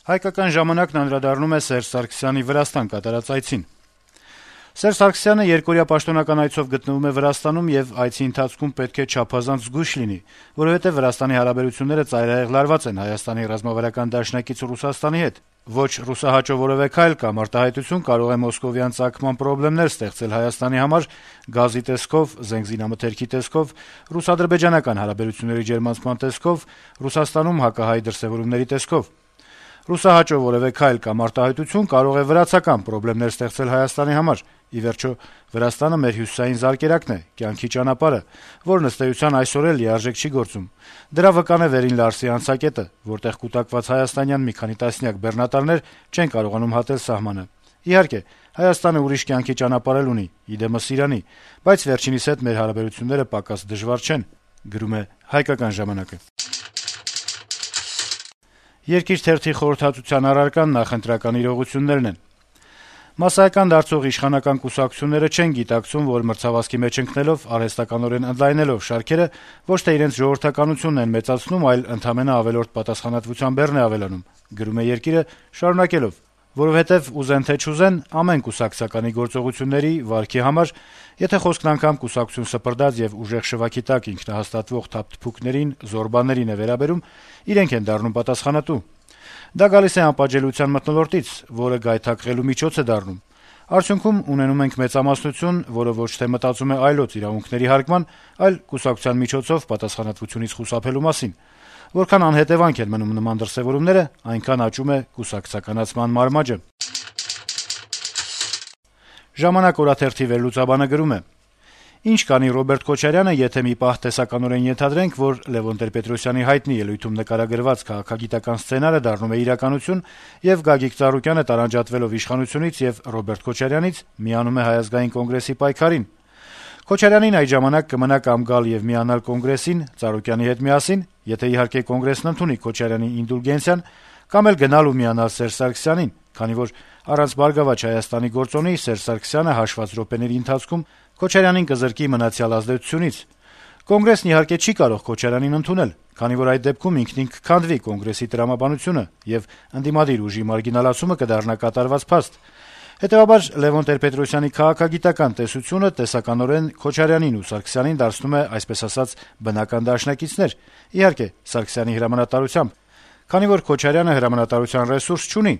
Հայկական ժամանակն անդրադառնում է Սերժ Սարգսյանի Վրաստան կատարած այցին. Սերժ Սարգսյանը երկօրյա պաշտոնական այցով գտնվում է Վրաստանում եւ այցի ընթացքում պետք է չափազանց զգույշ լինի, որովհետեւ Վրաստանի հարաբերությունները ծայրահեղ լարված են Հայաստանի ռազմավարական դաշնակից Ռուսաստանի հետ։ Ոչ ռուսահաճո որևէ քայլ կամ արտահայտություն կարող է մոսկովյան ծագման խնդիրներ ստեղծել Հայաստանի համար գազի տեսքով, զենզինամթերքի տեսքով, ռուս-ադրբեջանական հարաբերությունների ջերմացման տեսքով, Ռուսաստանում հակահայ դրսեւորումների տեսքով։ Ռուսահաճո որևէ քայլ կամ արտահայտություն կարող է վրացական խնդիրներ ստեղծել Հայաստանի համար։ Ի վերջո, Վրաստանը մեր հյուսիսային զարկերակն է, կյանքի ճանապարհը, որն ըստ էության այսօր էլ լիարժեք չի գործում։ Դրա վկան է Վերին Լարսի անցակետը, որտեղ կուտակված հայաստանյան մի քանի տասնյակ բեռնատարներ չեն կարողանում հատել սահմանը։ Իհարկե, Հայաստանը ուրիշ կյանքի ճանապարհ էլ ունի, իդեմս Իրանի, բայց վերջինիս հետ մեր հարաբերությունները պակաս դժվար չեն, գրում է Հայկական ժամանակը։ Երկիր թերթի խորհրդածության առարկան նախընտրական իրողություններն են։ Մասսայական դարձող իշխանական կուսակցությունները չեն գիտակցում, որ մրցավազքի մեջ ընկնելով, արհեստականորեն ընդլայնելով շարքերը, ոչ թե իրենց ժողովրդականությունն են մեծացնում, այլ ընդամենը ավելորդ պատասխանատվության բեռն է ավելանում, գրում է Երկիրը, շարունակելով. որովհետև ուզեն թե չուզեն, ամեն կուսակցականի գործողությունների վարքի համար, եթե խոսքն անգամ կուսակցություն սպրդած եւ ուժեղ շվաքի տակ ինքնահաստատվող թափթփուկներին, զորբաներին է վերաբերում, իրենք են դառնում պատասխանատու։ Դա գալիս է անպատժելիության մթնոլորտից, որը գայթակղելու միջոց է դառնում։ Արդյունքում ունենում ենք մեծամասնություն, որը ոչ թե մտածում է այլոց իրավունքների հարգման, այլ կուսակցության միջոցով պատասխանատվությունից խուսափելու մասին։ Որքան անհետևանք են մնում նման դրսեւորումները, այնքան աճում է կուսակցականացման մարմաճը։ Ժամանակ օրաթերթի վերլուծաբանը գրում է. Ինչ կանի Ռոբերտ Քոչարյանը, եթե մի պահ տեսականորեն ենթադրենք, որ Լևոն Տեր-Պետրոսյանի հայտնի ելույթում նկարագրված քաղաքագիտական սցենարը դառնում է իրականություն եւ Գագիկ Ծառուկյանը տարանջատվելով իշխանությունից եւ Ռոբերտ Քոչարյանից միանում է Հայ ազգային կոնգրեսի պայքարին։ Քոչարյանին այդ ժամանակ կմնա կամ գալ եւ միանալ կոնգրեսին Ծառուկյանի հետ միասին, եթե իհարկե կոնգրեսն ընդունի Քոչարյանի ինդուլգենցիան, կամ էլ գնալ ու միանալ Սերժ Սարգսյանին, քանի որ առանց Բարգավաճ Հայաստանի գործոնի Սերժ Սարգսյանը հաշված րոպեների ընթացքում Քոչարյանին կզրկի մնացյալ ազդեցությունից։ Կոնգրեսն իհարկե չի կարող Քոչարյանին ընդունել, քանի որ այդ դեպքում ինքնին կքանդվի կոնգրեսի տրամաբանությունը եւ ընդդիմադիր ուժի մարգինալացումը կդառնա կատարված փաստ։ Հետեւաբար Լևոն Տեր-Պետրոսյանի քաղաքագիտական տեսությունը տեսականորեն Քոչարյանին ու Սարգսյանին դարձնում է, այսպես ասած, բնական դաշնակիցներ, իհարկե Սարգսյանի հրամանատարությամբ, քանի որ Քոչարյանը հրամանատարության ռեսուրս չունի,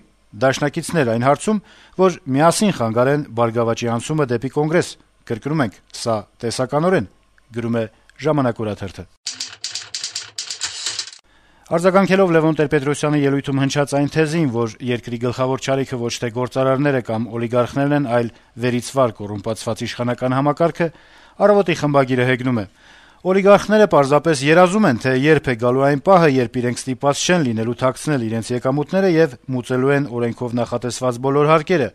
դաշնակիցներ այն հարցում, որ միասին խանգարեն Բարգավաճի անցումը դեպի կոնգրես։ Կրկնում ենք, սա տեսականորեն, գրում է Ժամանակ օրաթերթը։ Արձագանքելով Լևոն Տեր-Պետրոսյանի ելույթում հնչած այն թեզին, որ երկրի գլխավոր չարիքը ոչ թե գործարարները կամ օլիգարխներն են, այլ վերից վար կոռումպացված իշխանական համակարգը, Առավոտի խմբագիրը հեգնում է. Օլիգարխները պարզապես երազում են, թե երբ է գալու այն պահը, երբ իրենք ստիպված չեն լինելու թաքցնել իրենց եկամուտները եւ մուծելու են օրենքով նախատեսված բոլոր հարկերը։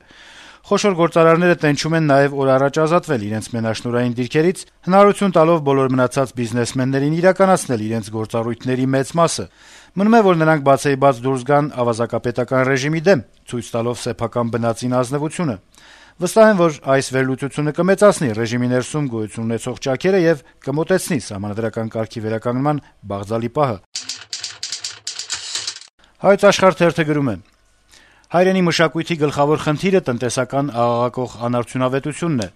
Խոշոր գործարարները տենչում են նաեւ օր առաջ ազատվել իրենց մենաշնորհային դիրքերից, հնարավորություն տալով բոլոր մնացած բիզնեսմեններին իրականացնել իրենց գործառույթների մեծ մասը։ Մնում է, որ նրանք բացեիբաց դուրս գան ավազակապետական ռեժիմի դեմ, ցույց տալով սեփական բնածին ազնվությունը։ Վստահ եմ, որ այս վերլուծությունը կմեծացնի ռեժիմի ներսում գոյություն ունեցող ճաքերը եւ կմոտեցնի սահմանադրական կարգի վերականգնման բաղձալի պահը։ Հայոց Աշխարհ թերթը գրում է. Հայրենի մշակույթի գլխավոր խնդիրը տնտեսական աղաղակող անարդյունավետությունն է։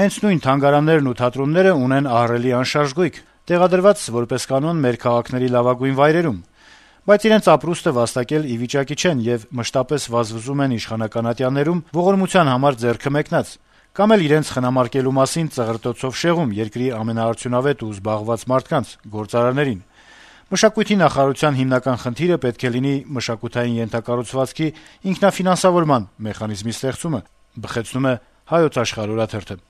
Հենց նույն թանգարաններն ու թատրոնները ունեն ահռելի անշարժ գույք, տեղադրված որպես կանոն մեր քաղաքների լավագույն վայրերում, բայց իրենց ապրուստը վաստակել ի վիճակի չեն եւ մշտապես վազվզում են իշխանական ատյաններում ողորմության համար ձեռքը մեկնած, կամ էլ իրենց խնամարկելու մասին ծղրտոցով շեղում երկրի ամենաարդյունավետ ու զբաղված մարդկանց, գործարարներին։ Մշակույթի նախարարության հիմնական խնդիրը պետք է լինի մշակութային ենթակառուցվածքի ինքնաֆինանսավորման մեխանիզմի ստեղծումը, բխեցնում է Հայոց Աշխարհ օրաթերթը։